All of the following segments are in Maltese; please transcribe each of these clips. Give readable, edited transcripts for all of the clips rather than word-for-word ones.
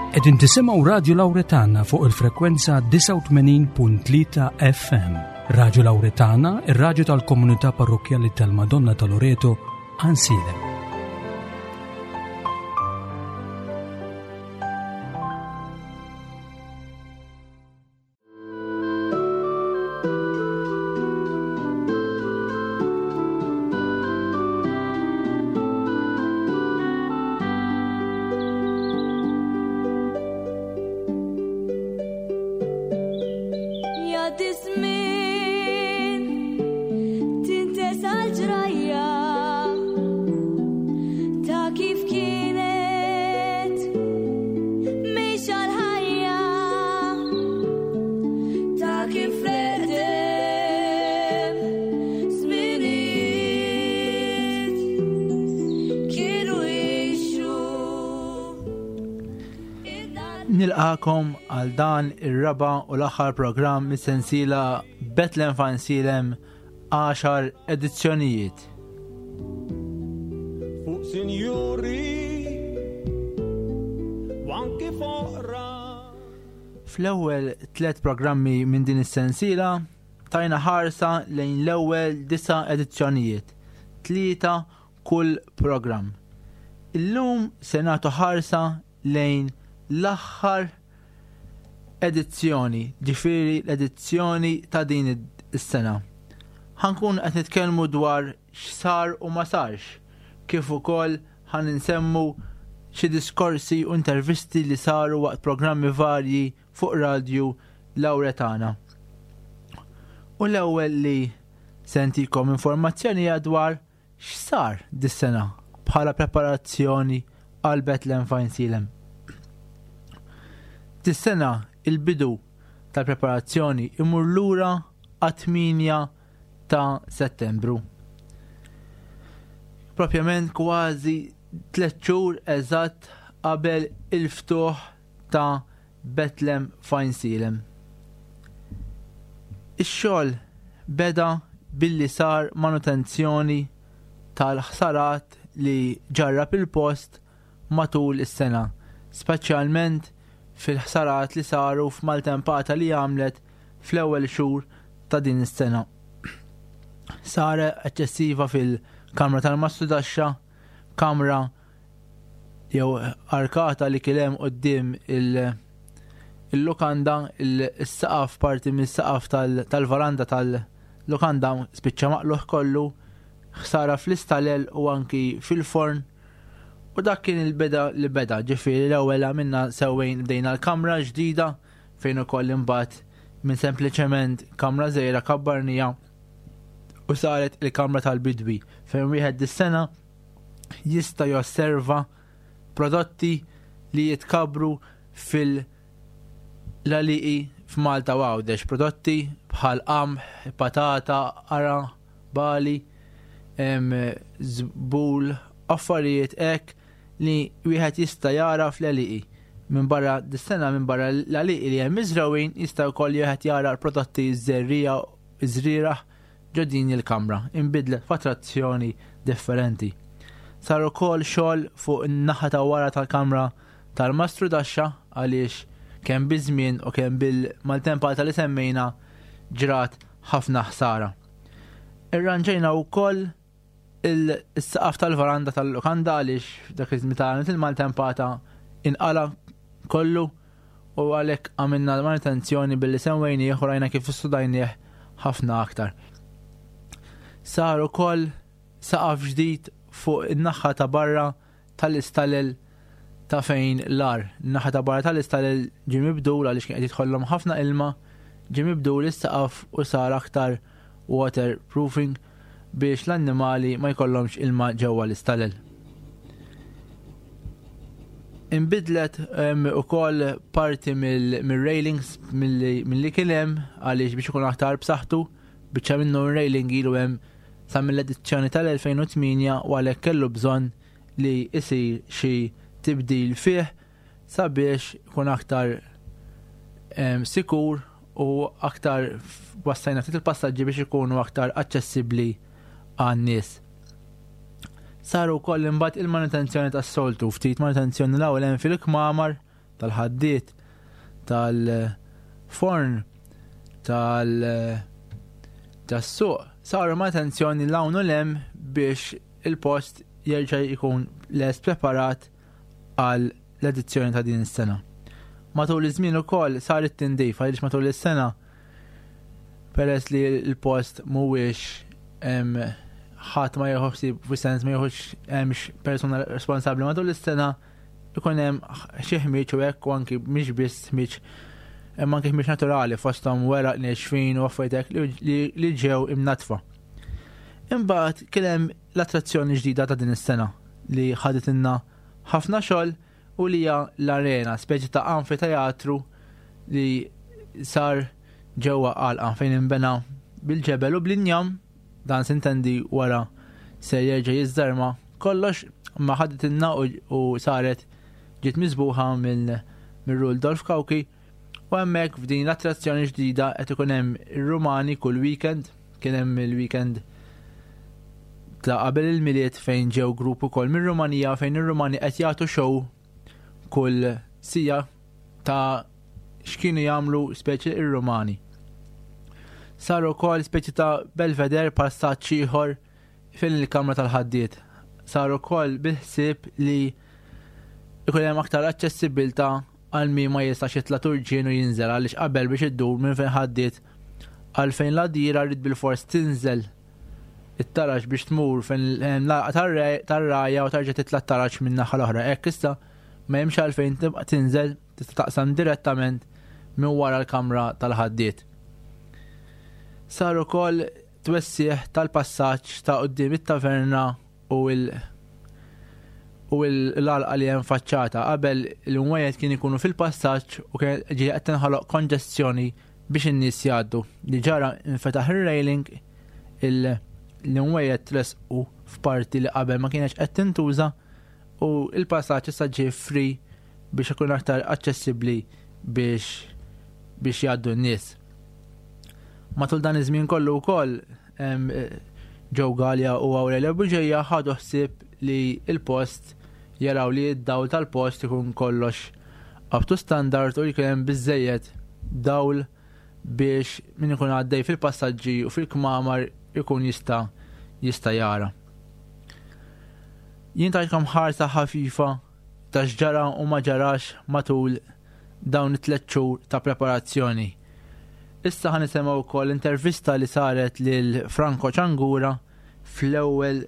Qegħdin tisimgħu Radju Lawretana fuq il-frekwenza 89.3 FM. Radju Lawretana, ir-radju tal-komunità parrokkjali tal-Madonna ta' Loreto, Ansilem. Nilqakom għal dan ir-raba u l-aħħar programm mis-sensiela Bethlehem Fansilem 10 edizzjonijiet. Fuq sinjuri u anki foqra. Fl-ewwel tlet programmi minn din is-sensiela tajna ħarsa lejn l-ewwel disa' edizzjonijiet, tlieta kull programm. Illum se nagħtu ħarsa lejn l-aħħar edizzjoni, ġifieri l-edizzjoni ta' din is-sena. Ħankun qed nitkellmu dwar x'sar u ma sarx, kif ukoll ħan insemmu xi diskorsi u intervisti li saru waqt programmi varji fuq radju Lawretana. U l-ewwel li sentikom informazzjoni dwar X'sar dis-sena bħala preparazzjoni għal Bethlehem f'Għajnsielem? Dis-sena il-bidu tal-preparazzjoni imur lura għat-8 ta' Settembru. Propjament kważi tliet xhur eżatt qabel il-ftuħ ta' Bethlehem f'Għajnsielem. Ix-xogħol beda billi sar manutenzjoni tal-ħsarat li ġarrab il-post matul is-sena, speċjalment fil-ħsarat li saru f'maltempata li għamlet fl-ewwel xhur ta' din is-sena. Sar eċċessiva fil-kamra tal-mastrudaxxa, kamra jew arkata li kien hemm quddiem il-lukanda, il-saqaf parti mis-saqaf tal-varanda tal-lukanda spiċċa maqluħ kollu, ħsara fl-istalel u anki fil-forn. U dak kien il-beda li beda, ġifieri l-ewwel għamilna sewwejn bdejna l-kamra ġdida fejn ukoll imbagħad minn sempliċement kamra żgħira kabbarnija u saret il-kamra tal-bidwi fejn wieħed dis-sena jista' josserva prodotti li jitkabbru fil-għalieqi f'Malta u Għawdex, prodotti bħal qamħ, patata, qara, bali, żbul, affarijiet hekk li wieħed jista' jara fl-għelieqi. Minn barra dis-sena minn barra l-għalieqi li hemm miżrewin jista' wkoll wieħed jara l-prodotti żerriegħa żrieragħ Ġo din il-kamra inbidlet f'attrazzjoni differenti. Sar ukoll xogħol fuq in-naħa ta' wara tal-kamra tal-mastrudaxxa għaliex kemm biż-żmien u kemm bil-maltempata li semmejna ġrat ħafna ħsara. Irranġejna wkoll il-saqaf tal-varanda tal-lukanda għaliex dak iż-żmien ta' il-maltempata inqala kollu u għalhekk għamilna l-manutenzjoni billi sewwejnieh u rajna kif issudajnieh ħafna aktar. Sar ukoll saqaf ġdid fuq in-naħa ta' barra tal-istalel ta' fejn l-ar. Naħa ta' barra tal-istalel ġie mibdul għaliex kien qed jidħollhom ħafna ilma, ġie mibdul is-saqaf u sar aktar waterproofing biex l-annimali ma jkollhomx ilma ġewwa l-istalel. Inbidlet ukoll parti mill-railings milli kien hemm għaliex biex ikun aktar b'saħħtu, biċċa minnu r-railing ilu hemm sa mill-edizzjoni tal-2008 u għalhekk kellu bżonn li jsir xi tibdil fih sabiex ikun aktar sikur u aktar wassajna ftit il-passaġġi biex ikunu aktar aċċessibbli għan-nies. Saru wkoll imbagħad il-manutenzjoni tas-soltu, ftit manutenzjoni l-ewwel hemm fil-kmamar tal-ħaddied, tal-forn, tal tas-suq saru manutenzjoni 'l hawn u 'l hemm biex il-post jerġa' jkun lest preparat għal l-edizzjoni ta' din is-sena. Matul iż-żmien ukoll sar it-tindif għaliex matul is-sena peress li l-post mhuwiex ħadd ma jieħu ħsieb fis-sens ma jieħux hemmx persuna responsabbli matul is-sena ikun hemm xi ħmieġ u hekk u anki mhix biss ħmieġ hemm anki ħmieġ naturali fosthom weraq nexfin u affarijiet hekk li ġew imnatfa. Imbagħad kien hemm l-attrazzjoni ġdida ta' din is-sena li ħaditilna ħafna xogħol u li hija l-arena, speċi ta' anfiteatru li sar ġewwa għalqa fejn inbena bil-ġebel u bl-injam, dan sintendi wara se jerġa' jiżżarma kollox, ma ħaditilna u saret ġiet miżbuħa minn Rudolf Cauchi u hemmhekk f'din l-attrazzjoni ġdida qed ikun hemm ir-Rumani kull weekend, kien hemm il-weekend ta' qabel il-Milied fejn ġew grupp ukoll mir-Rumanija fejn ir-Rumani qed jagħtu show kull sija ta' x'kienu jagħmlu speċi ir-Rumani. Saru wkoll speċi ta' belveder passaġġ ieħor fil-kamra tal-ħaddied. Saru wkoll bil-ħsieb li ikun hemm aktar aċċessibilità għal min ma jistax jitla' turġien u jinżel għaliex qabel biex iddur minn fejn ħaddiet għal fejn l-għadira rrid bilfors tinżel it-taraġ biex tmur fejn l-għalqa tar-rgħajja u tarġa' titla' t-taraġ min-naħa l-oħra. Hekk issa ma hemmx għalfejn tibqa' tinżel, tista' taqsam direttament minn wara l-kamra tal-ħaddied. Sar ukoll twessiegħ tal-passaġġ ta' quddiem it-taverna u l u l-għalqa li hemm faċċata. Qabel l-imwejjed kien ikunu fil-passaġġ u kien ġie qed tinħoloq konġestjoni biex in-nies jgħaddu. Li ġara infetaħ ir-railing, l-imwejjed tresqu f'parti li qabel ma kienx qed tintuża u l-passaġġ issa ġie free biex ikun aktar aċċessibbli biex biex jgħaddu n-nies. Matul dan iż-żmien kollu wkoll Joe Galea u Aurelia Bugeja ħadu ħsieb li l-post jaraw li d-dawl tal-post ikun kollox up to standard u jkun hemm biżżejjed dawl biex min ikun għaddej fil-passaġġi u fil-kmamar ikun jista' jista' jara. Jien tajtkom ħarsa ħafifa ta' x'ġara u ma ġarax matul dawn it-tlet xhur ta' preparazzjoni. Issa ħa nisimgħu wkoll intervista li saret lil Franco Ciangura fl-ewwel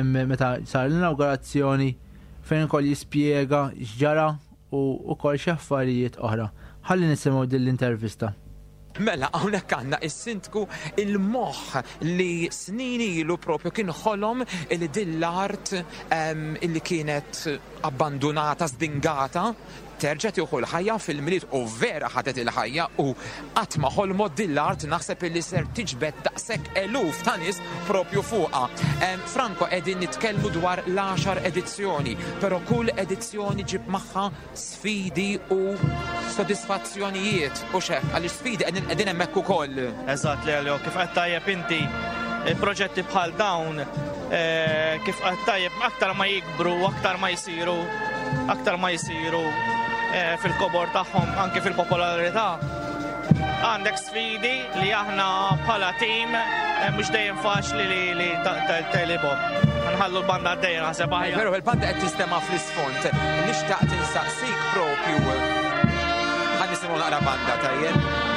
meta sar l-inawgurazzjoni fejn ukoll jispjega x'ġara u wkoll xi affarijiet oħra. Ħalli nisimgħu din l-intervista. Mela, hawnhekk għandna is-sindku il-moħħ li snin ilu propju kien ħolom li din l-art illi kienet abbandunata, żdingata, terġa' tieħu l-ħajja fil-Milied u vera ħadet il-ħajja u qatt ma ħolmot din l-art naħseb illi ser tiġbed daqshekk eluf ta' nies propju fuqha. Franco, qegħdin nitkellmu dwar l-għaxar edizzjoni, però kull edizzjoni ġib magħha sfidi u sodisfazzjonijiet u xek, għaliex sfidi qegħdin hemmhekk ukoll. Eżatt, Lelio, kif qed tajjeb inti, proġetti bħal dawn, eh, kif qed tajjeb aktar ma jikbru, aktar ma jsiru, aktar ma jsiru eh, fil-kobor tagħhom anke fil-popolarità. Għandek sfidi li aħna bħala tim eh, mhux dejjem faċli li li telibhom. Nħallu l-banda għaddejja naħseb aħjar. Veru, il-banda qed tistema' fl-isfond. Nixtaq tinsaqsik propju. Ħa nisimgħu naqra banda tajjeb.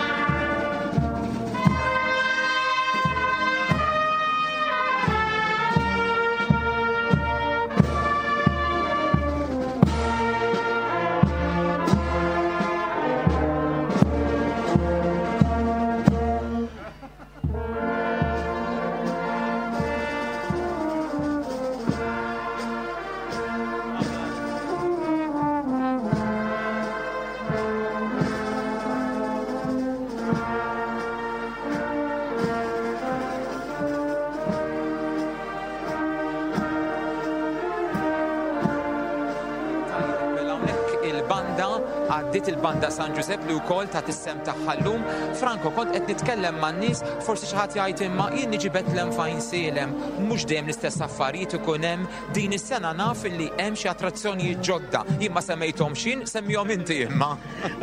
Għaddiet il-Banda San Ġużepp li wkoll tat is-sehem tagħha llum. Franco, kont qed nitkellem man-nies, forsi xi ħadd jgħid imma jien niġi Betlem f'Għajnsielem, mhux dejjem l-istess affarijiet ikun hemm. Din is-sena naf illi hemm xi attrazzjonijiet ġodda. Jien ma semmejthomx jien, semmihom inti imma.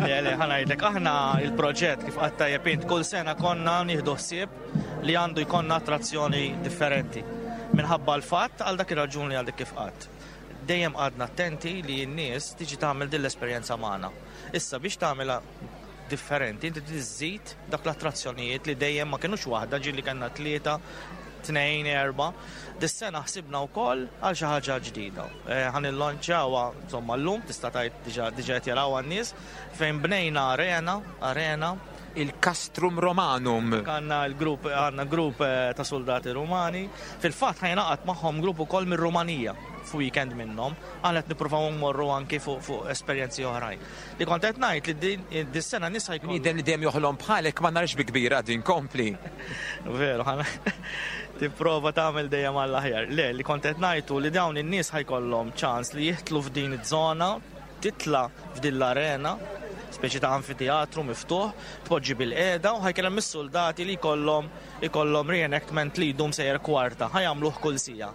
Le, le, ħa ngħidlek, aħna il-proġett kif qatt tajjeb int kull sena konna nieħdu ħsieb li għandu jkollna attrazzjoni differenti. Minħabba l-fatt għal dak ir-raġuni għal dik kif qatt. Dejjem qgħadna attenti li n-nies tiġi tagħmel din l-esperjenza magħna. Issa biex tagħmilha differenti, inti trid iżżid dak l-attrazzjonijiet li dejjem ma kinux waħda, ġieli kellna tlieta, tnejn, erba'. Dis-sena ħsibna wkoll għal xi ħaġa ġdida. Eh, ħa nillonċjawha insomma llum tista' tgħid diġà diġà qed jarawha n-nies fejn bnejna arena, arena il-Castrum Romanum. Għandna l-grupp għandna grupp eh, ta' soldati Rumani. Fil-fatt ħajnaqat magħhom grupp ukoll mir-Rumanija f'weekend minnhom, għal qed nippruvaw nmorru anki fuq fu esperjenzi oħrajn. Li kont qed ngħid li din dis-sena nies ħajkun. Bniedem li dejjem joħlom bħalek ma narx bi kbira din kompli. Veru, tipprova tagħmel dejjem għall-aħjar. Le, li kont qed ngħidu li dawn in-nies ħajkollhom ċans li jihtlu f'din iż-żona titla' f'din l-arena, speċi ta' anfiteatru miftuħ, tpoġġi bilqiegħda u ħa jkun hemm is-suldati li jkollhom ikollhom reenactment li jdum sejjer kwarta, ħa jagħmluh kull siegħa.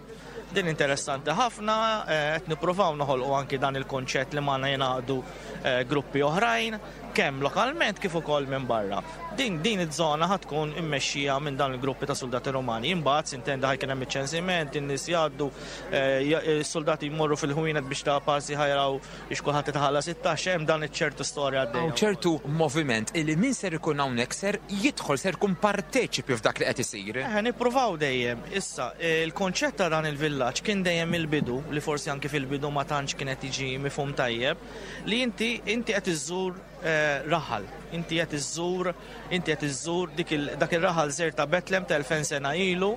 Din interessanti ħafna, eh, qed nippruvaw noħolqu anki dan il-kunċett li magħna jingħaqdu eh, gruppi oħrajn, kemm lokalment kif ukoll minn barra. Din din iż-żona ħa tkun immexxija minn dawn il-gruppi ta' soldati Romani. Imbagħad s'intendi ħa jkun hemm iċ-ċensiment, in-nies jgħaddu, eh, is-soldati jmorru fil-ħwienet biex ta' passi ħajraw biex kulħadd itħallas it-taxxa, hemm dan iċ-ċertu storja għaddejja. Hawn ċertu moviment illi min ser ikun hawnhekk ser jidħol, ser ikun parteċipi f'dak li qed isir. Eħe, nippruvaw dejjem. Issa, il-konċett ta' dan il-villaġġ kien dejjem mill-bidu, li forsi anki fil-bidu ma tantx kien qed jiġi mifhum tajjeb, li inti inti qed iżżur eh, raħal, inti qed iżżur inti qed iżżur dak ir-raħal żgħir ta' Betlem ta' 2000 sena ilu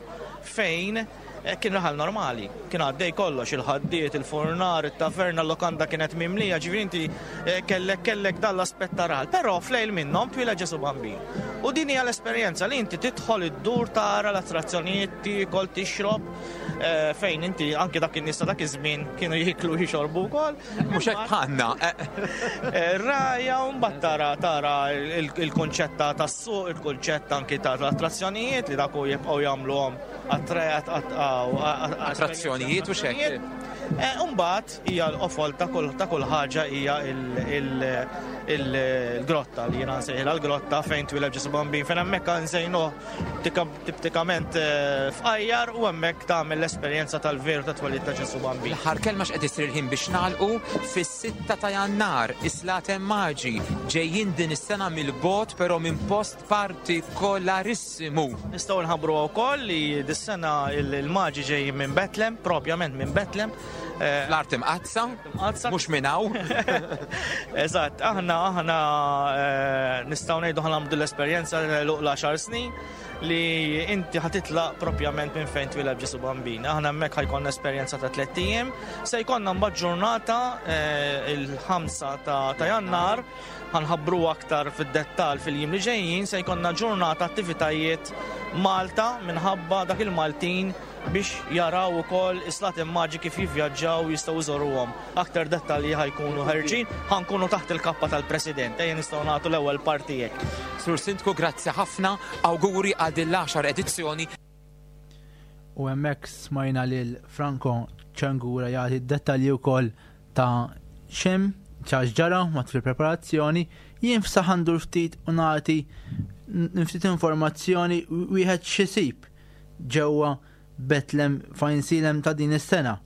fejn eh, kien raħal normali, kien għaddej kollox, il-ħaddiet, il-furnar, it-taverna, l-lokanda kienet mimlija, ġifieri inti eh, kellek kellek dan l-aspett ta' raħal. Però flejl minnhom twila Ġesu Bambin. U din hija l-esperjenza li inti tidħol id-dur tara l-attrazzjonijiet, tiekol, tixrob, fejn inti anke dak in-nies ta' dak iż-żmien kienu jiklu jixorbu wkoll. Mhux hekk bħalna. Eh, raja u mbagħad tara tara il-kunċett tas-suq, il-kunċett anki ta' attrazzjonijiet li dak jibqgħu jagħmluhom attrazzjonijiet u xekk. Eh, Umbagħad hija l-qofol ta' kull ħaġa hija il-grotta li jiena nsejħilha l-grotta fejn twileb Ġesu Bambin fejn hemmhekk nżejnuh tiptikament eh, fqajjar u hemmhekk tagħmel l-esperjenza tal-veru ta' twelid ta' Ġesu Bambin. L-aħħar kelma x'qed isir il-ħin biex nagħlqu fis-6 ta' Jannar is-Slaten Maġi ġejjin din is-sena mill-bogħod però minn post partikolarissimu. Nistgħu nħabbru wkoll li dis-sena il-Maġi ġejjin minn Betlem, propjament minn Betlem. Eh, Fl-art imqaddsa, mhux minn hawn. Eżatt, aħna aħna eh, nistgħu ngħidu ħa nagħmlu l-esperjenza l-10 snin li inti ħa titlaq propjament minn fejn twiled Ġesu Bambin. Aħna hemmhekk ħajkonna esperjenza ta' tlett ijiem, se jkollna mbagħad ġurnata eh, il-5 ta' Jannar ħanħabbru aktar fid-dettall fil-jiem li ġejjin se jkollna ġurnata attivitajiet Malta minħabba dak il-Maltin biex jaraw ukoll is-Slaten Maġi kif jivvjaġġaw jistgħu jżoruhom. Aktar dettalji ħajkunu ħerġin, ħankunu taħt il-kappa tal-President, ejja nistgħu nagħtu l-ewwel parti hekk. Sur Sindku, grazzi ħafna, awguri għal din l-għaxar edizzjoni. U hemmhekk smajna lil Franco Ċangura jagħti d-dettalji wkoll ta' xem ċax ġara matul il-preparazzjoni, jien f'saħ ndur ftit u nagħti ftit informazzjoni wieħed xisib ġewwa Betlem f'Għajnsielem ta' din is-sena.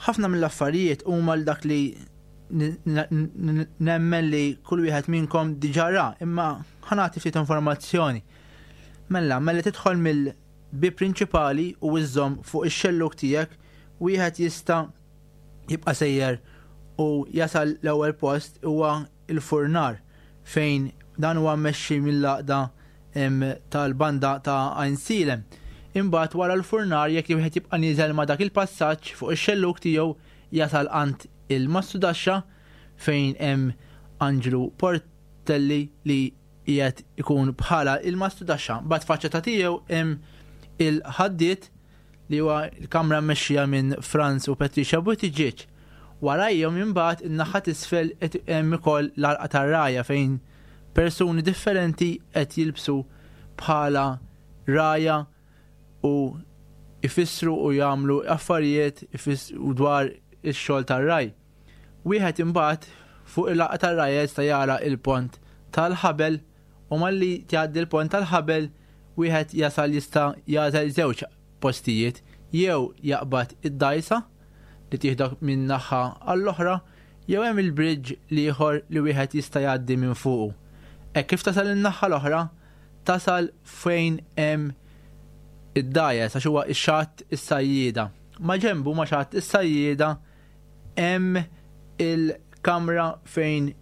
Ħafna mill-affarijiet huma l dak li nemmen li kull wieħed minnkom diġà ra, imma ħanati ftit informazzjoni. Mela, mela tidħol mill-bib prinċipali u iżżomm fuq ix-xellug tiegħek, wieħed jista' jibqa' sejjer u jasal l-ewwel post huwa il-furnar fejn dan huwa mmexxi mill-għaqda tal-banda ta' Għajnsielem. Imbagħad wara l-furnar jekk wieħed jibqa' nieżel ma' dak il-passaġġ fuq ix-xellug tiegħu jasal għand il-mastudaxxa fejn hemm Anġlu Portelli li qiegħed ikun bħala il-mastudaxxa. Mbagħad faċċata tiegħu hemm il-ħaddied li huwa l-kamra mmexxija minn Franz u Patricia Buttigieg. Warajhom imbagħad in-naħa t'isfel qed hemm ukoll l-għalqa tar-rgħajja fejn persuni differenti qed jilbsu bħala rgħajja u jfissru u jagħmlu affarijiet u dwar ix-xogħol tar-ragħaj. Wieħed imbagħad fuq il-għalqa tar-rgħajja jista' jara il-pont tal-ħabel u malli tgħaddi l-pont tal-ħabel wieħed jasal jista' jagħżel żewġ postijiet jew jaqbad id-dgħajsa li tieħdok minn naħa għall-oħra jew hemm il-bridge l-ieħor li wieħed jista' jgħaddi minn fuqu. Hekk kif tasal in-naħa l-oħra, tasal fejn hemm id-dgħajjes għax huwa x-xatt is-sajjieda. Ma' ġenbu ma' xatt is-sajjieda hemm il-kamra fejn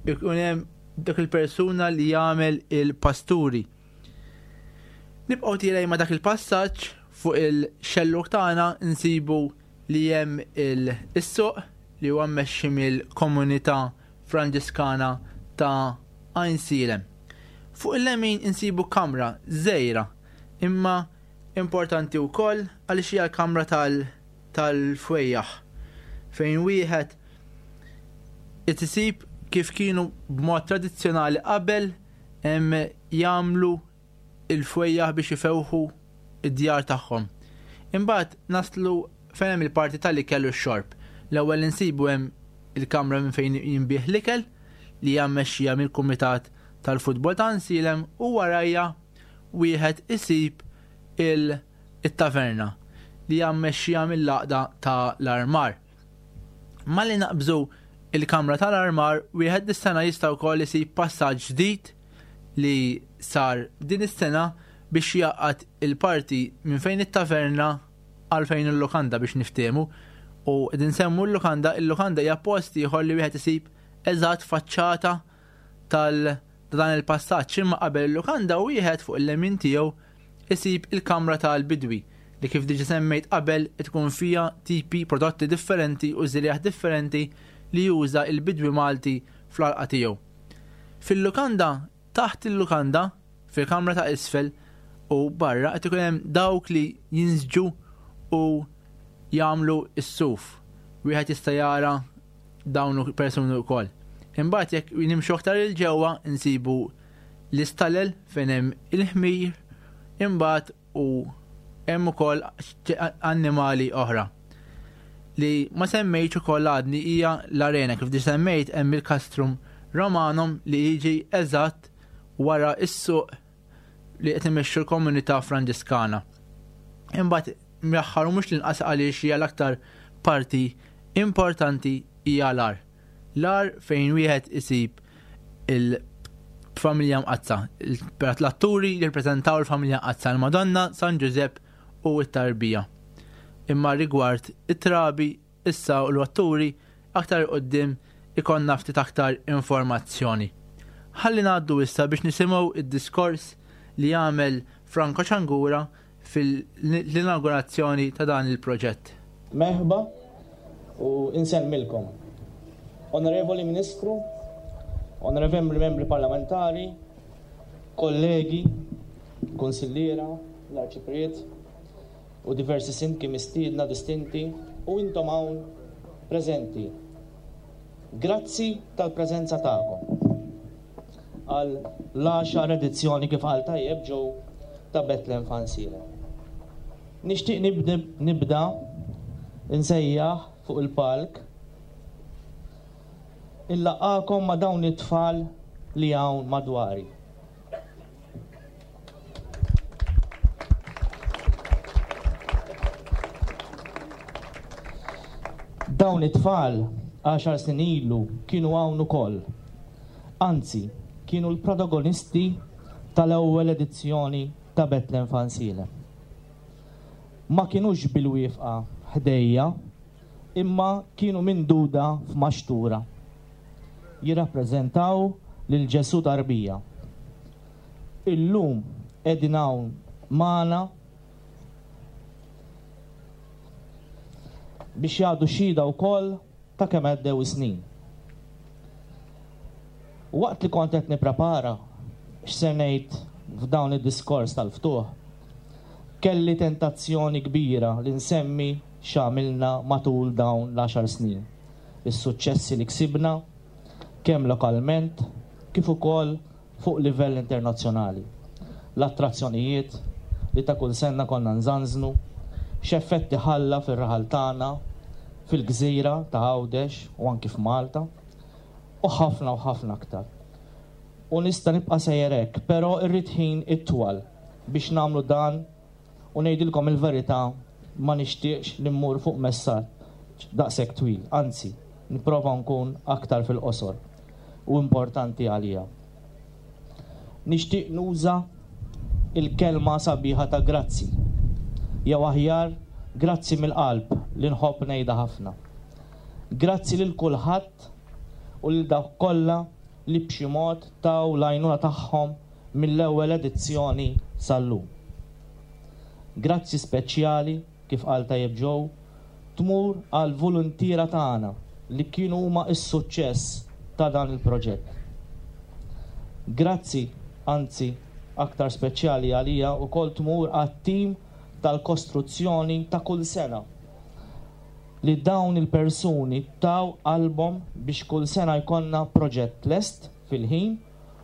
ikun hemm dak il-persuna li jagħmel il-pasturi. Nibqgħu tielgħin ma' dak il-passaġġ fuq il-xellug tagħna nsibu li hemm il-suq li huwa mmexxi mill-komunità Franġiskana ta' Għajnsielem. Fuq il-lemin insibu kamra żgħira imma importanti wkoll għaliex hija l-kamra tal-fwejjaħ fejn wieħed isib kif kienu b'mod tradizzjonali qabel jagħmlu il-fwejjaħ biex ifewħu id-djar tagħhom. Imbagħad naslu fejn hemm il-parti tal-ikel u x-xorb. L-ewwel insibu hemm il-kamra minn fejn jinbiegħ l-ikel li hija mmexxija mill-Kumitat tal-Futbol ta' Għajnsielem u warajja wieħed isib il-taverna li hija mmexxija mill-għaqda ta' l-armar. Malli naqbżu il-kamra tal-armar wieħed dis-sena jista' wkoll isib passaġġ ġdid li sar din is-sena biex jgħaqqad il-parti minn fejn it-taverna għal fejn il-lukanda biex niftehmu. U qegħdin nsemmu l-lukanda, il-lukanda hija post ieħor li wieħed isib eżatt faċċata tal dan il-passaġġ imma qabel il-lukanda wieħed fuq il-lemin tiegħu isib il-kamra tal-bidwi li kif diġa semmejt qabel tkun fiha tipi prodotti differenti u żrieragħ differenti li juża il-bidwi Malti fl-għalqa tiegħu. Fil-lukanda, taħt il-lukanda, fil-kamra ta' isfel u barra qed ikun hemm dawk li jinsġu u jagħmlu s-suf. Wieħed jista' jara dawn persuni wkoll. Imbagħad jekk nimxu aktar il ġewwa nsibu l-istalel fejn hemm il-ħmir, imbagħad u hemm ukoll annimali oħra. Li ma semmejtx ukoll għadni hija l-arena kif diġà semmejt hemm il-Castrum Romanum li jiġi eżatt wara s-suq li qed imexxu l-komunità Franġiskana. Imbagħad mill-aħħar u mhux l-inqas għaliex hija l-aktar parti importanti hija l-għar. L-għar fejn wieħed isib il-familja mqaddsa. L-atturi jirrappreżentaw il-familja mqaddsa, il-Madonna, San Ġużepp u t-tarbija. Imma rigward it-trabi issa u l-atturi aktar qoddim ikonna ftit aktar informazzjoni. Ħalli ngħaddu issa biex nisimgħu id-diskors li għamel Franco Ciangura fil-inaugurazzjoni ta' dan il-proġett. Merħba u insellmilkom. Onorevoli Ministru, Onorevoli Membri Parlamentari, kollegi, kunsilliera, l-Arċipriet u diversi sindki mistiedna distinti u intom hawn preżenti. Grazzi tal-preżenza tagħkom għal l-għaxar edizzjoni kif qal tajjeb Joe ta' Bethlehem f'Għajnsielem. Nixtieq nibda nsejjaħ fuq il-palk illaqgħakom ma' dawn it-tfal li hawn madwari. Dawn it-tfal għaxar snin ilu kienu hawn ukoll. Anzi, kienu l-protagonisti tal-ewwel edizzjoni ta' Bethlehem f'Għajnsielem. Ma kinux bil-wieqfa ħdejja imma kienu minduda f'maxtura. Jirrappreżentaw lil Ġesù tarbija. Illum qegħdin hawn magħna biex jagħtu xhieda wkoll ta' kemm għaddew is-snin. Waqt li kont qed nipprepara x'se ngħid f'dawn id-diskors tal-ftuħ, kelli tentazzjoni kbira li nsemmi x'għamilna matul dawn l-għaxar snin, is-suċċessi li ksibna kemm lokalment kif ukoll fuq livell internazzjonali, l-attrazzjonijiet li ta' kull sena konna nżanżnu, x'effetti ħalla fir-raħal tagħna, fil-gżira ta' Għawdex u anki f'Malta, u ħafna u ħafna aktar. U nista' nibqa' sejjer hekk, però rrid ħin itwal biex nagħmlu dan U ngħidilkom il-verità ma nixtieqx li mmur fuq messaġġ daqshekk twil, anzi, nipprova nkun aktar fil-qosor u importanti għalija. Nixtieq nuża l-kelma sabiħa ta' grazzi, jew aħjar grazzi mill-qalb li nħobb ngħidha ħafna. Grazzi lil kulħadd u lil dawk kollha li b'xi mod taw l-għajnuna tagħhom mill-ewwel edizzjoni sal-lum. Grazzi speċjali, kif qal tajjeb Joe, tmur għall-voluntiera tagħna li kienu huma s-suċċess ta' dan il-proġett. Grazzi, anzi aktar speċjali għalija wkoll tmur għat-tim tal-kostruzzjoni ta' kull sena li dawn il-persuni taw qalbhom biex kull sena jkollna proġett lest fil-ħin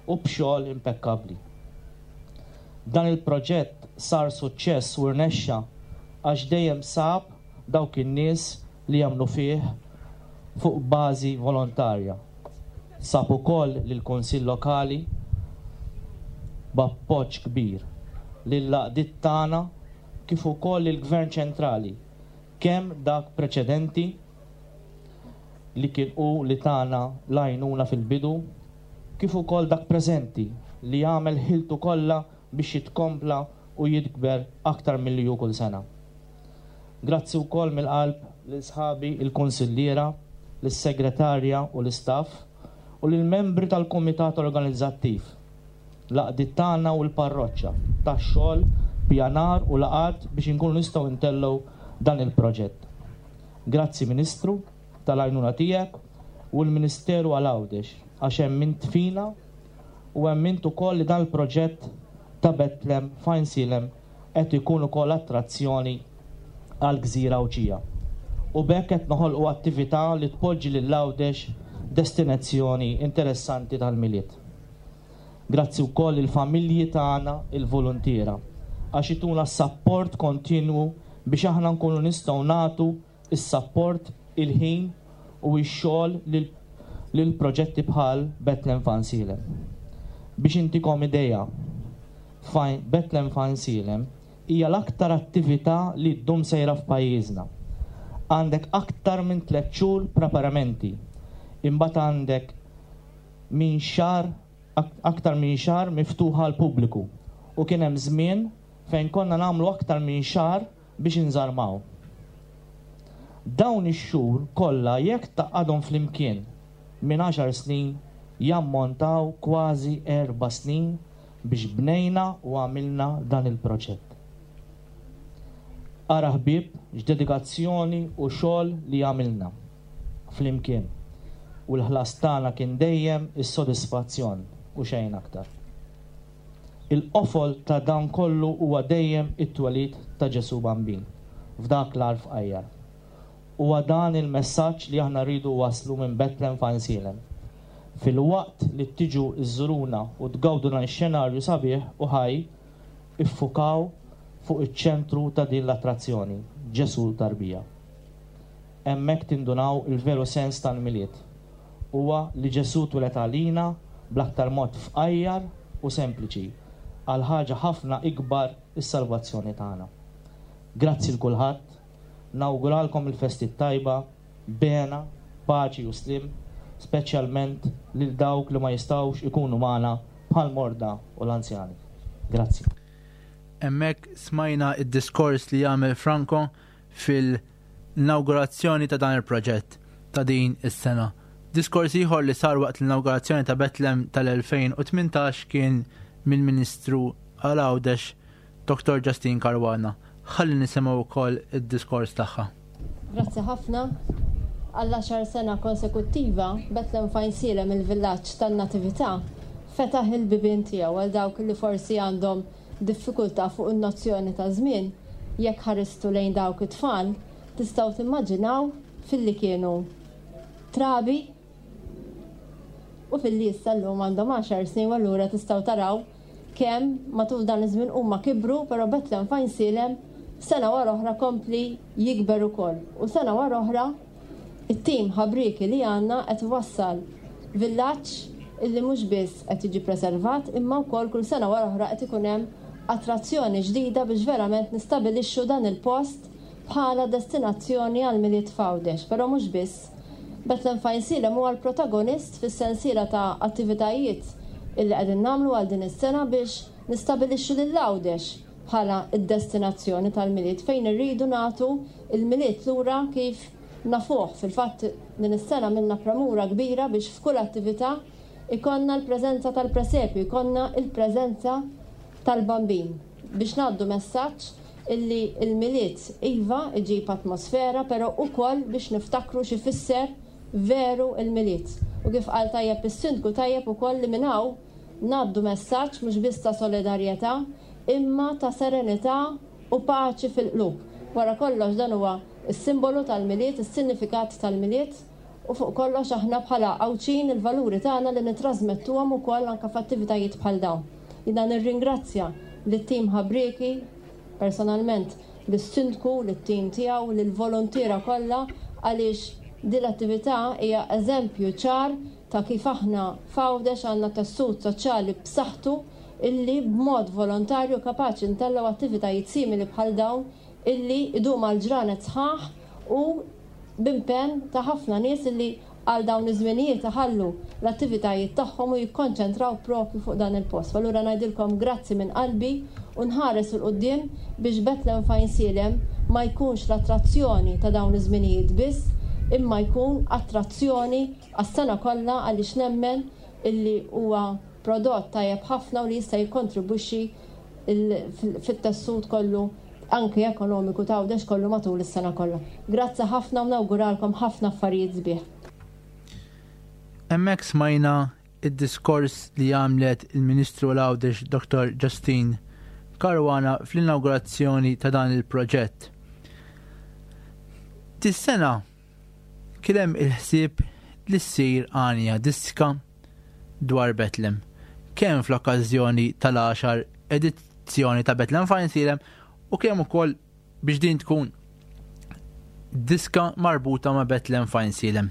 u b'xogħol impekkabbli. Dan il-proġett sar suċċess u rnexxa għax dejjem sab dawk in-nies li jemmnu fih fuq bażi volontarja. Sab ukoll lill-Kunsill Lokali b'appoġġ kbir, lill-għaqdiet tagħna kif ukoll lill-Gvern Ċentrali, kemm dak preċedenti li kien hu li tana l-għajnuna fil-bidu, kif ukoll dak preżenti li jagħmel ħiltu kollha biex jitkompla u jikber aktar milli hu kull sena. Grazzi wkoll mill-qalb lil sħabi l-kunsilliera, lis-segretarja u l-istaff u lill-membri tal-kumitat organizzattiv, l-għaqdiet tagħna u l-parroċċa tax-xogħol, pjanar u laqgħat biex inkunu nistgħu ntellgħu dan il-proġett. Grazzi Ministru tal-għajnuna tiegħek u l-Ministeru għal Għawdex għax emmint fina u emmint ukoll li dan il-proġett ta' Betlem f'Għajnsielem qed ikun ukoll attrazzjoni għall-gżira Għawdxija u b'hekk qed noħolqu attività li tpoġġi lil Għawdex destinazzjoni interessanti tal-Milied. Grazzi wkoll lill-familji tagħna il-voluntiera għax ituna s-sapport kontinwu biex aħna nkunu nistgħu nagħtu s-sapport, il-ħin u x-xogħol lil proġetti bħal Bethlehem F'Għajnsielem. Biex intikom idea, Bethlehem F'Għajnsielem hija l-aktar attività li ddum sejra f'pajjiżna. Għandek aktar minn tlett xhur preparamenti, imbagħad għandek minn xahar aktar minn xahar miftuħa għall-pubbliku u kien hemm żmien fejn konna nagħmlu aktar minn xahar biex inżarmaw. Dawn ix-xhur kollha jekk tgħaqqadhom flimkien minn għaxar snin jammontaw kważi erba' snin biex bnejna u għamilna dan il-proġett. Ara ħbieb x'dedikazzjoni u xogħol li għamilna flimkien u l-ħlas tagħna kien dejjem is-sodisfazzjon u xejn aktar. Il-qofol ta' dan kollu huwa dejjem it-twelid ta' Ġesù Bambin f'dak l-għar fqajjar. Huwa dan il-messaġġ li aħna rridu wasslu minn Betlem f'Għajnsielem. Filwaqt li tiġu żżuruna u tgawdu dan ix-xenarju sabiħ u ħaj, iffukaw fuq iċ-ċentru ta' din l-attrazzjoni, Ġesù tarbija. Hemmhekk tindunaw il-veru sens tal-Milied. Huwa li Ġesù twieled għalina bl-aktar mod fqajjar u sempliċi, għal ħaġa ħafna ikbar is-salvazzjoni tagħna. Grazzi 'l kulħadd, nawguralkom il-festi t-tajba, b'hena, paċi u sliem, speċjalment lil dawk li ma jistgħux ikunu magħna bħall-morda u l-anzjani. Grazzi. Hemmhekk smajna d-diskors li għamel Franco fil-inawgurazzjoni ta' dan il-proġett ta' din is-sena. Diskors ieħor li sar waqt l-inawgurazzjoni ta' Betlem tal-2018 kien mill-Ministru għal Għawdex Dr. Justine Caruana. Ħalli nisimgħu wkoll id-diskors tagħha. Grazzi ħafna. Għall-għaxar sena konsekuttiva, Betlem f'Għajnsielem il-villaġġ tan-Natività fetaħ il-bibien tiegħu għal dawk li forsi għandhom diffikultà fuq in-nozzjoni ta' żmien, jekk ħaristu lejn dawk it-tfal, Tistgħu timmaġinaw filli kienu trabi u filli issa llum għandhom għaxar snin u allura tistgħu taraw kemm matul dan iż-żmien huma kibru, però Bethlehem f'Għajnsielem sena wara oħra kompli jikber ukoll. U sena wara oħra it-tim ħabrieki li għandna qed iwassal villaġġ illi mhux biss qed jiġi preservat imma wkoll kull sena wara oħra qed ikun hemm attrazzjoni ġdida biex verament nistabilixxu dan il-post bħala destinazzjoni għall-Milied f'Għawdex. Però mhux biss. Bethlehem f'Għajnsielem huwa l-protagonist fis-sensiela ta' attivitajiet illi qegħdin nagħmlu għal din is-sena biex nistabilixxu lil Għawdex bħala d-destinazzjoni tal-Milied fejn irridu nagħtu l-Milied lura kif nafuh. Fil-fatt din is-sena għamilna premura kbira biex f'kull attività jkollna l-preżenza tal-presepju, jkollna l-preżenza tal-Bambin biex ngħaddu messaġġ illi l-Milied iva iġib atmosfera però ukoll biex niftakru x'ifisser veru l-Milied. U kif qal tajjeb is-Sindku tajjeb ukoll li minn hawn ngħaddu messaġġ mhux biss ta' solidarjetà imma ta' serenità u paċi fil-qlub. Wara kollox dan huwa s-simbolu tal-Milied, is-sinifikat tal-Milied u fuq kollox aħna bħala Għawdxin il-valuri tagħna li nittrażmettuhom ukoll anke f'attivitajiet bħal dawn. Jiena nirringrazzja lit-tim ħabrieki, personalment lis-Sindku, lit-tim tiegħu, lill-voluntiera kollha għaliex din l-attività hija eżempju ċar ta' kif aħna f'Għawdex għandna tessut soċjali b'saħħtu illi b'mod volontarju kapaċi ntellgħu attivitajiet simili bħal dawn illi jdum għal ġranet sħaħ u b'impenn ta' ħafna nies illi għal dawn iż-żminijiet iħallu l-attivitajiet tagħhom u jikkonċentraw proprju fuq dan il-post. Allura ngħidilkom grazzi minn qalbi u nħares 'il quddiem biex Bethlehem f'Għajnsielem ma jkunx l-attrazzjoni ta' dawn iż-żminijiet biss imma jkun attrazzjoni għas-sena kollha għaliex nemmen illi huwa prodott tajjeb ħafna u li jista' jikkontribwixxi fit-tessut kollu anki ekonomiku ta' Għawdex kollu matul is-sena kollha. Grazzi ħafna u nawguralkom ħafna affarijiet sbieħ. Hemmhekk smajna id-diskors li għamlet il-Ministru għal Għawdex Dr. Justine Caruana fl-inawgurazzjoni ta' dan il-proġett. Dis-sena kien hemm il-ħsieb li ssir għanja diska dwar Betlem, kemm fl-okkażjoni tal-għaxar edizzjoni ta' Betlem f'Għajnsielem u kemm ukoll biex din tkun diska marbuta ma' Betlem f'Għajnsielem.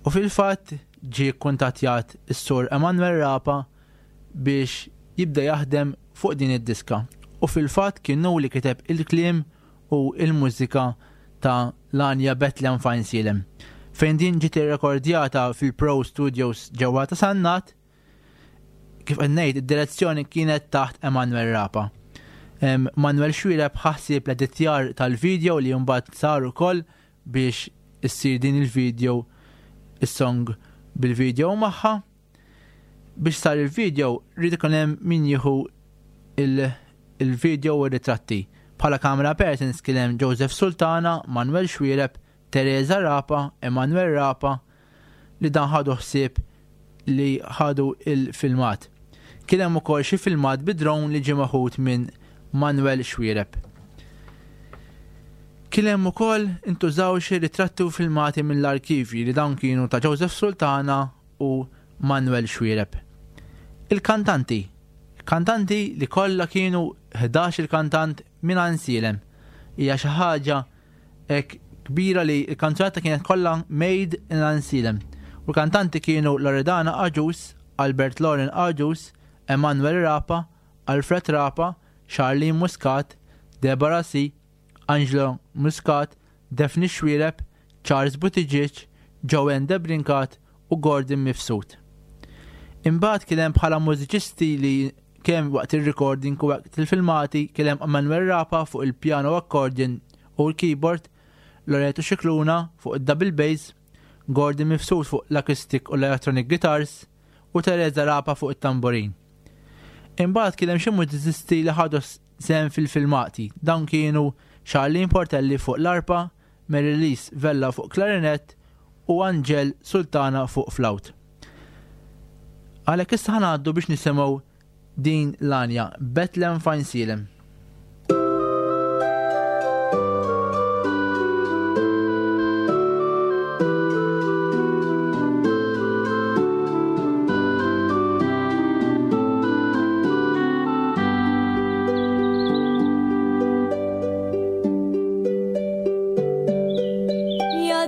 U fil-fatt ġie kkuntattjat is-Sur Emanuel Rapa biex jibda jaħdem fuq din id-diska. U fil-fatt kien hu li kiteb il-kliem u l-mużika ta' l-għanja Bethlehem f'Għajnsielem, fejn din ġiet irrekordjata fil-Pro Studios ġewwa ta' Sannat, kif qed ngħid id-direzzjoni kienet taħt Emanuel Rapa. Manuel Xuereb ħa ħsieb l-editjar tal-video li mbagħad sar ukoll biex issir din il-video is-song bil-video magħha. Biex sar il-video rrid ikun hemm min jieħu il-video u r-ritratti. Bħala camera persons kien hemm Joseph Sultana, Manuel Xuereb, Teresa Rapa, Emanuel Rapa li dan ħadu ħsieb li ħadu il-filmat. Kien hemm ukoll xi filmat bi drone li ġie meħud minn Manuel Xuereb. Kien hemm ukoll intużaw xi ritratti u filmati mill-arkivji li dawn kienu ta' Joseph Sultana u Manuel Xuereb. Il-kantanti. Kantanti li kollha kienu 11 il-kantant minn Għajnsielem. Hija xi ħaġa hekk kbira li l-kanzunetta kienet kollha made in Għajnsielem. U l-kantanti kienu Loredana Agius, Albert Lauren Agius, Emanuel Rapa, Alfred Rapa, Charlene Muscat, Deborah C, Angelo Muscat, Daphne Xuereb, Charles Buttigieg, Joanne Debrincat u Gordon Mifsud. Imbagħad kien hemm bħala mużiċisti li kemm waqt ir-recording u waqt il-filmati kien hemm Manuel Rapa fuq il-piano accordion u l-keyboard, Loreto Scicluna fuq id-double bass, Gordon Mifsud fuq l-acoustic u l-electronic guitars u Teresa Rapa fuq it-tamborin. Imbagħad kien hemm xi mużiċisti li ħadu sehem fil-filmati. Dawn kienu Charlene Portelli fuq l-arpa, Mary-Lise Vella fuq klarinett u Angel Sultana fuq flawt. Għalhekk issa ħa ngħaddu biex nisimgħu din l-għanja Bethlehem f'Għajnsielem.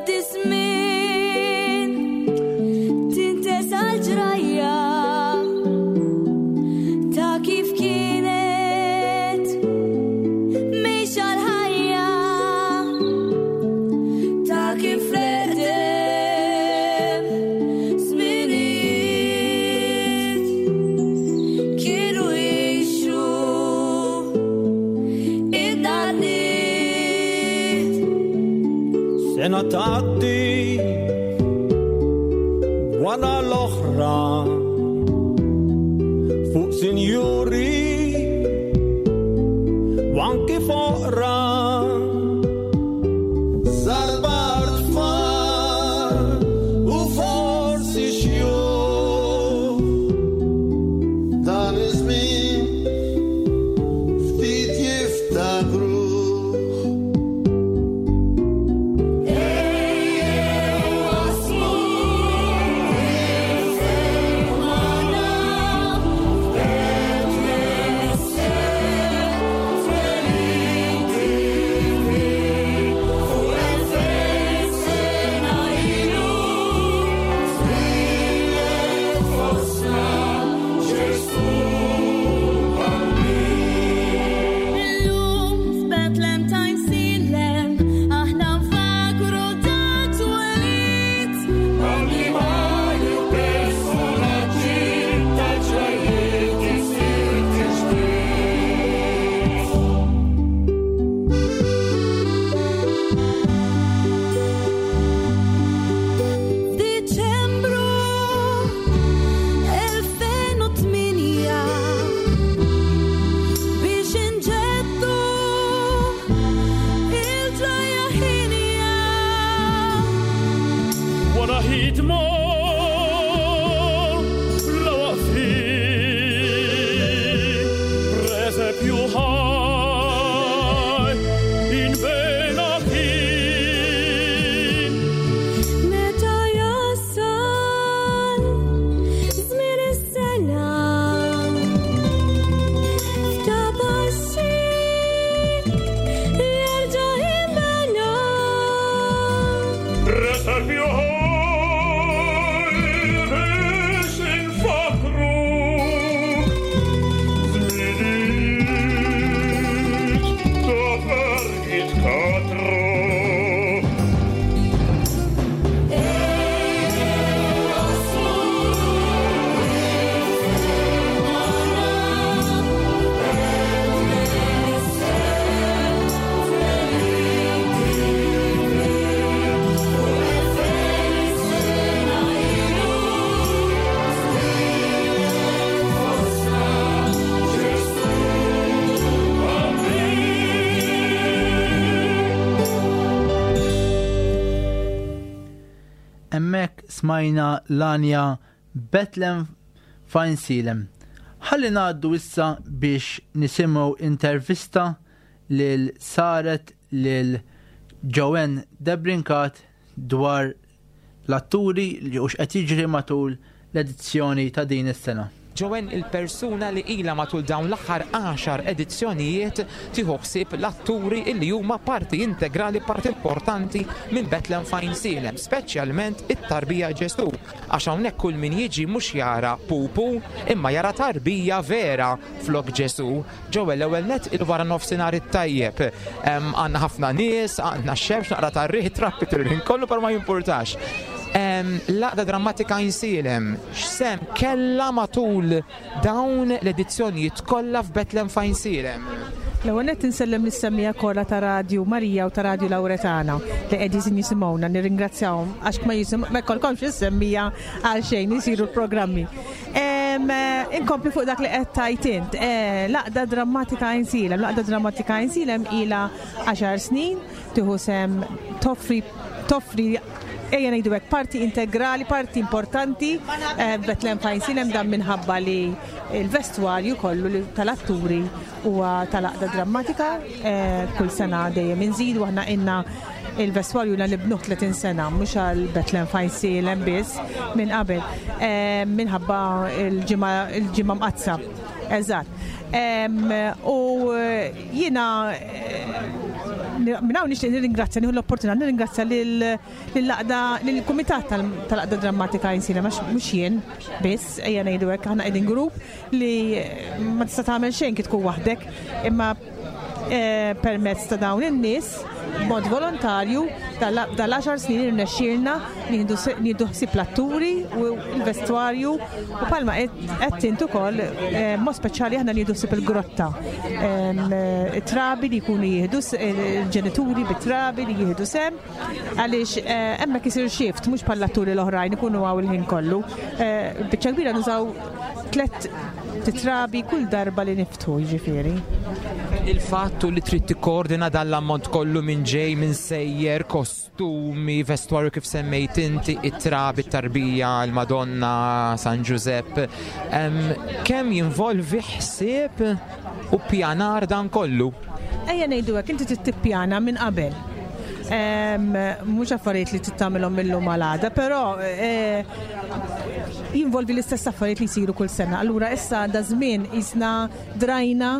Jgħaddi żmien tintesa l-ġrajja ta' kif kienet mejxa l-ħajja ta' kif l-eqdem żminijiet kienu jgħixu id-danniet. Sena tgħaddi wara l-oħra fuq sinjuri u anki foqra. Sarbar tfal u forsi xjuħ dan iż-żmien ftit jiftakruh. Illum f'Betlem t'Għajnsielem aħna nfakru dak twelid. Annimali u personaġġi tal-ġrajjiet isir tiġdid. F'Diċembru 2008 biex inġeddu il-ġrajja ħinja. Wara ħidma la waqfin, presepju ħaj inbena kien. Meta jasal żmien is-sena f'ta' passi jerġa' jinbena. Presepju ħaj biex infakruk żminijiet ta' ferħ katru. Hemmhekk smajna l-għanja Bethlehem Fajnsilem. Ħalli ngħaddu issa biex nisimgħu intervista lil saret lil Joanne Debrincat dwar l-atturi li u x'qed jiġri matul l-edizzjoni ta' din is-sena. Joanne il-persuna li ilha matul dawn l-aħħar għaxar edizzjonijiet tieħu ħsieb l-atturi illi huma parti integrali, parti importanti minn Bethlehem Fajnsielem, speċjalment it-tarbija Ġesù, għax hawnhekk kull min jiġi mhux jara pupu imma jara tarbija vera flok Ġesù. Joanne, l-ewwel nett il-wara nofsinhar it-tajjeb. Għandna ħafna nies, għandna x-xemx, naqra tar-riħ, trappi tul kollu però ma jimpurtax. L-Għaqda Drammatika Għajnsielem, x'sehem kellha matul dawn l-edizzjonijiet kollha f'Bethlehem f'Għajnsielem? L-ewwel nett insellem lis-semmiegħa kollha ta' Radju Marija u ta' Radju Lawretana li qegħdin jisimgħuna, nirringrazzjahom għax ma jisim ma jkollkomx is-semmiegħa għal xejn isiru l-programmi. Inkompli fuq dak li qed tgħid int. Eh, l-Għaqda Drammatika Għajnsielem, l-Għaqda Drammatika Għajnsielem ilha għaxar snin tieħu sehem toffri toffri ejja ngħidu hekk parti integrali, parti importanti eh, Bethlehem Fajnsilem dan minħabba li l-vestwarju kollu li tal-atturi huwa tal-għaqda drammatika eh, kull sena dejjem inżidu aħna inna il-vestwarju la nibnuh 30 sena mhux għal Bethlehem Fajnsilem biss minn qabel eh, minħabba il-ġimgħa mqaddsa. Eżatt. U jiena Minn hawn nixtieq nirringrazzja, nieħu l-opportunità nirringrazzja lill-għaqda, lill-kumitat tal-Għaqda Drammatika Għajnsielem għax mhux jien biss, ejja ngħidu hekk, aħna qegħdin grupp li ma tista' tagħmel xejn kif tkun waħdek, imma permezz ta' dawn in-nies b'mod volontarju dal-għaxar snin irnexxielna nieħdu ħsieb l-atturi u l-vestwarju u palma qed int ukoll mod speċjali aħna nieħdu ħsieb il-grotta. Trabi li jkunu jieħdu il-ġenituri bit-trabi li jieħdu sem għaliex hemmhekk isir shift mhux bħall-atturi l-oħrajn ikunu hawn il-ħin kollu. Biċċa kbira nużaw tlett titrabi kull darba li niftħu jiġifieri. Il-fatt li trid tikkoordina dan l-ammont kollu minn ġej, minn sejjer, kostumi, vestwarju kif semmejt inti, it-trabi, it-tarbija, il-Madonna, San Ġużepp, kemm jinvolvi ħsieb u ppjanar dan kollu? Ejja ngħidu hekk, inti trid tippjana minn qabel. Mhux affarijiet li trid tagħmilhom mil-lum għal għada, però eh, jinvolvi l-istess affarijiet li jsiru kull sena. Allura issa da żmien isna drajna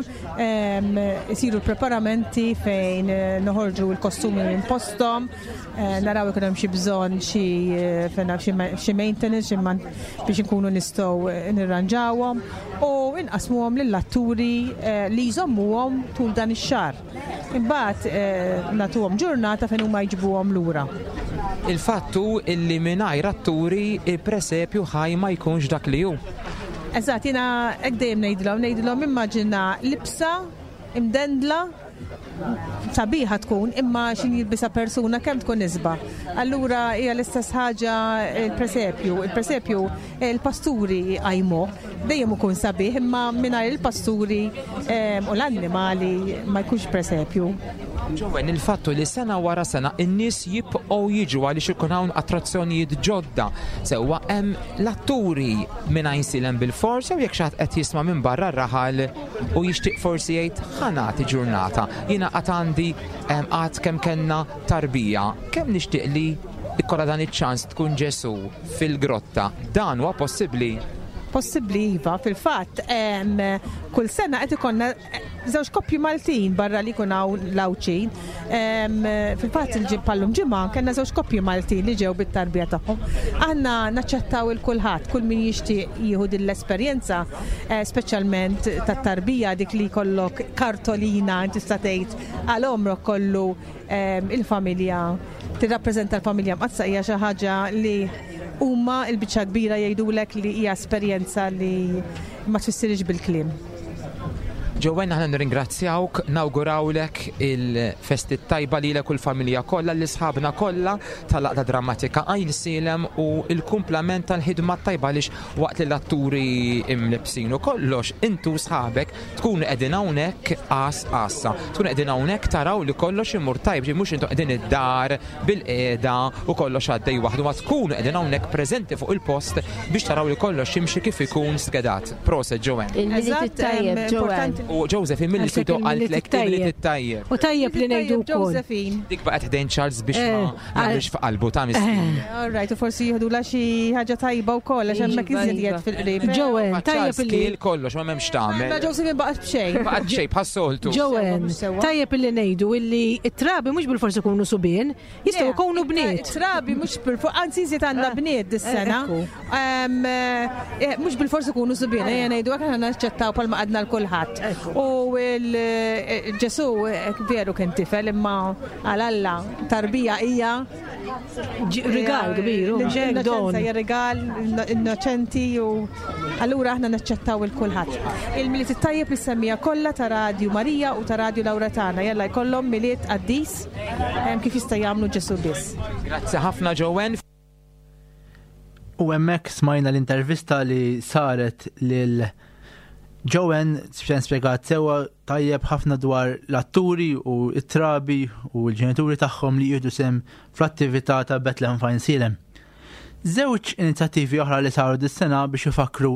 isiru l-preparamenti fejn eh, noħorġu l-kostumi minn postom, eh, naraw ikun hemm xi bżonn xi eh, xi maintenance biex inkunu nistgħu nirranġawhom u inqasmuhom lill-atturi li jżommuhom tul dan ix-xahar. Imbagħad eh, nagħtuhom ġurnata fejn huma jġibuhom lura. Il-fatt hu illi mingħajr atturi il-presepju ħaj ma jkunx dak li hu. Eżatt, jiena hekk dejjem ngħidilhom, ngħidilhom immaġina libsa imdendla sabiħa tkun imma xin jilbisa persuna kemm tkun isba. Allura hija l-istess ħaġa il-presepju. Il-presepju il-pasturi jqajmu Dejjem ikun sabiħ imma mingħajr il-pasturi u l-annimali ma jkunx presepju. Ġowen, il-fattu li sena wara sena in-nies jibqgħu jiġu għaliex ikun hawn attrazzjonijiet ġodda. Sewwa hemm l-atturi minn Għajnsielem bil-fors jew jekk xi ħadd qed jisma' minn barra r-raħal u jixtieq forsi jgħid ħa nagħti ġurnata. Jiena qatt għandi qatt kemm kellna tarbija, kemm nixtieq li ikollha dan iċ-ċans tkun Ġesù fil-grotta. Dan huwa possibbli? Possibbli iva, fil-fatt kull sena qed ikollna eh, żewġ koppji Maltin barra li jkun hawn l-Għawdxin. Fil-fatt il-pallum ġimgħa kellna żewġ koppji Maltin li ġew bit-tarbija tagħhom. Aħna naċċettaw il kulħadd, kull min jixtieq jieħu din l-esperjenza, eh, speċjalment tat-tarbija dik li jkollok kartolina tista' tgħid għal għomrok kollu il-familja tirrappreżenta l-familja mqaddsa hija xi ħaġa li huma l-biċċa kbira jgħidulek li hija esperjenza li ma tfissirx bil-kliem. Joanne, aħna nirringrazzjawk, nawgurawlek il-festi tajba lilek u l-familja kollha, l-isħabna kollha tal-Għaqda Drammatika Għajnsielem u l-kumplament tal-ħidma tajba għaliex waqt li l-atturi imlibsin u kollox, intu sħabek Tkunu qegħdin hawnhekk għas għassa. Tkunu qegħdin hawnhekk taraw li kollox imur tajb, ġi mhux intom qegħdin id-dar bil-qiegħda u kollox għaddej waħdu, ma tkunu qegħdin hawnhekk preżenti fuq il-post biex taraw li kollox jimxi kif ikun skedat. Proset Joanne. Il-Milied it-tajjeb, Joanne. U Josephine milli sidu qaltlek il-Milied it-tajjeb. U tajjeb li ngħidu wkoll. Josephine. Dik baqgħet ħdejn Charles biex ma eh, jagħmilx f'qalbu ta' miskin. Eh. All right, u forsi jieħdu la xi ħaġa tajba wkoll għax hemmhekk iva, iżjed iva. fil-qrib. Joanne, tajjeb li kollox ma m'hemmx tagħmel. Ma Josephine baqgħet b'xejn. Baqgħet b'xejn bħas-soltu. Joanne, tajjeb li ngħidu illi t-trabi mhux bil-forsi ikunu subien, jistgħu jkunu bniet. Trabi mhux bil-forsi, anzi iżjed għandna eh, bniet dis-sena. Eh, mhux bil-forsi ikunu subien, ejja ngħidu hekk aħna naċċettaw palma għadna l-kulħadd. U Ġesu veru kien tifel imma għal Alla tarbija hija rigal kbir, L-innoċenza hija rigal innoċenti u allura aħna naċċettaw il kulħadd. Il-Milied it-tajjeb li semmija kollha ta' Radju Marija u ta' Radju Lawretana jalla jkollhom Milied qaddis kif jista' jagħmlu Ġesu biss. Grazzi ħafna Joanne. U hemmhekk smajna l-intervista li saret lil Joanne xejn spjegat sewwa tajjeb ħafna dwar l-atturi u t-trabi u l-ġenituri tagħhom li jieħdu sem fl-attività ta' Bethlehem Fajnsielem. Żewġ inizjattivi oħra li saru dis-sena biex ifakkru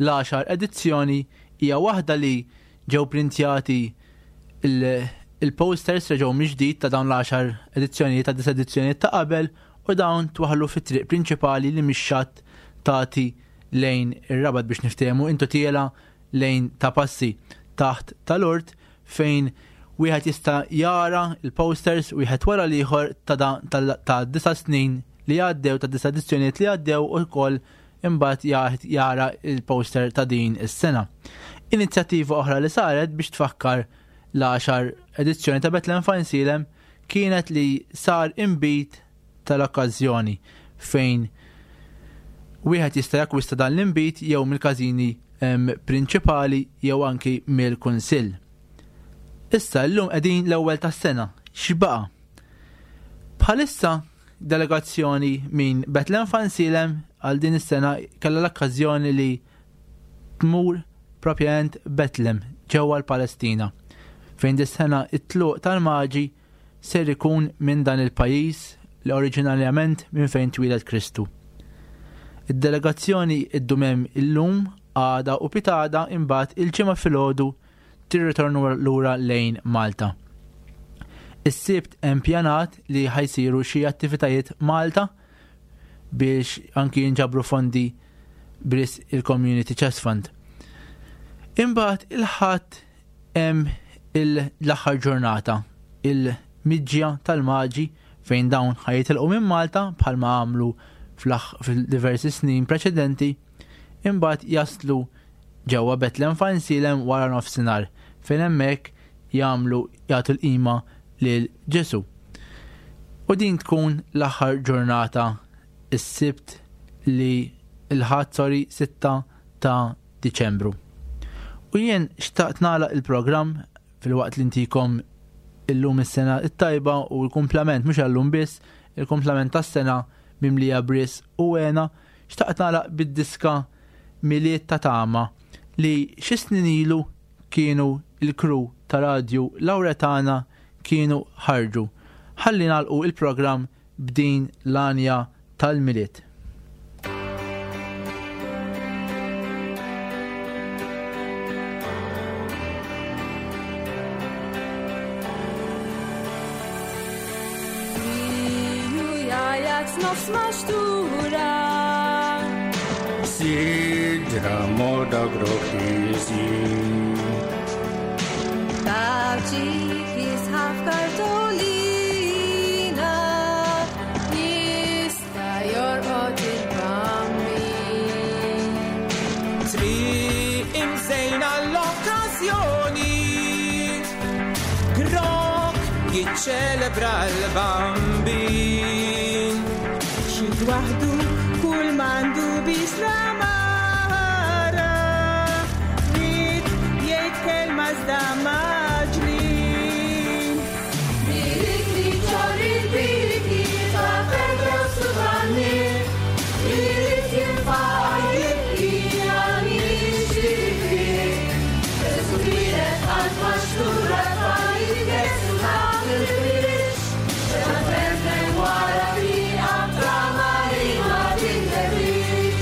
l-għaxar edizzjoni hija waħda li ġew printjati il-posters reġgħu mill-ġdid ta' dawn l-għaxar edizzjonijiet ta' disa' edizzjonijiet ta' qabel u dawn twaħħlu fit-triq prinċipali li mix-xatt tagħti lejn ir-Rabat biex niftehmu intu tiela lejn ta' passi taħt tal-ort fejn Wieħed jista' jara l-posters wieħed wara l-ieħor ta' disa' snin li għaddew ta' disa' edizzjonijiet li għaddew u wkoll imbagħad jara l-poster ta' din is-sena. Inizjattiva oħra li saret biex tfakkar l-għaxar edizzjoni ta' Bethlehem Fajnsilem kienet li sar inbid tal-okkażjoni fejn wieħed jista' jakkwista dan l-inbid jew mill-każini prinċipali jew anki mill-kunsill. Issa llum qegħdin l-ewwel tas-sena, x'baqa'? Bħalissa delegazzjoni minn Bethlehem Fansilem għal din is-sena kellha l-okkażjoni li tmur propjament Bethlehem ġewwa l-Palestina fejn dis-sena it-tluq tal-maġi ser ikun minn dan il-pajjiż li oriġinarjament minn fejn twieled Kristu. Id-delegazzjoni iddum hemm illum, għada u pitgħada imbagħad il-Ġimgħa filgħodu tirritorna lura lejn Malta. Is-Sibt hemm pjanat li ħajsiru xi attivitajiet Malta biex anki jinġabru fondi bris il-Community Chest Fund. Imbagħad il-Ħadd hemm l-aħħar ġurnata, il-miġja tal-Maġi fejn dawn ħajitilqu minn Malta bħalma għamlu fil-diversi snin preċedenti, imbagħad jaslu ġewwa Betlem f'Għajnsielem wara nofsinhar fejn hemmhekk jagħmlu jagħtu l-qima lil Ġesù. U din tkun l-aħħar ġurnata is-Sibt li l-Ħadd sorry 6 ta' Diċembru. U jien xtaqt nagħlaq il-programm filwaqt li ntikom illum is-sena it-tajba u l-kumplament mhux għallum biss, il-kumplament tas-sena mimlija bris u għena, xtaqt nagħlaq bid-diska Milied ta' Tama li xi snin ilu kienu il-crew ta' Radju Lawretana kienu ħarġu. Ħalli nagħlqu il-programm b'din l-għanja tal-Milied. Nofs maxtura. Sidra moda groħizi. Taċi jisħaf kartolina. Jista jorqod il-bambin. Triq imżejna l-okkażjoni. Grok jiċċelebra l-bambin. Xi waħdu kull mandu biex l-amara. Ried jgħid kelma iżda maġlin. Birikli ċorri biriki ta' Pedro Suvanni. Irid jinfaqar jibki għal jixtieqi. Ġesu twieled qalb maxtura tfal jitgesu ta' fil-biex. Xena tremmen wara triqa trama li ma tintebix.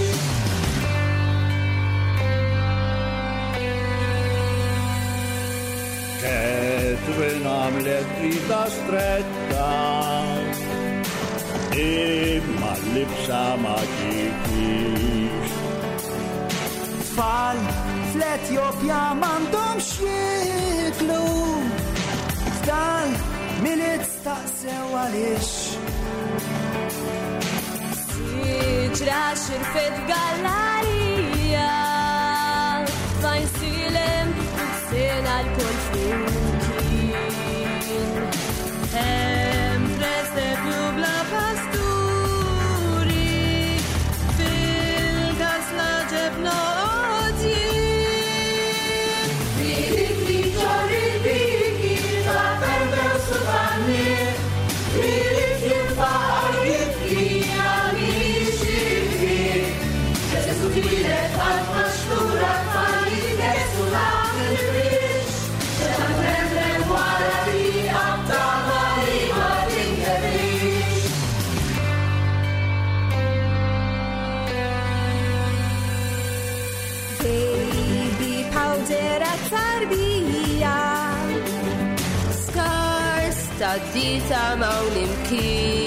Catherine għamlet rita stretta imma l-libsa ma ġietix. Tfal fl-Etjopja m'għandhomx jieklu. Fdal Milied staqsew għaliex. Siġra xirfet gallarija. Fajnsilem sena l-kol flimkien. Hemm presepju bla pasturi. Fil-kasla ġebna għodjien. Birikli ċorri biriki ta' Pedro Suvanni. Irid jinfaqar jibki għal jixtieqi. Ġesu twieled qalb maxtura tfal jitgesu ta' fil-biex. Xena tremmen wara triqa tama li ma tinkebix. Baby powder għat-tarbija. Scars ta' dita ma' imkien.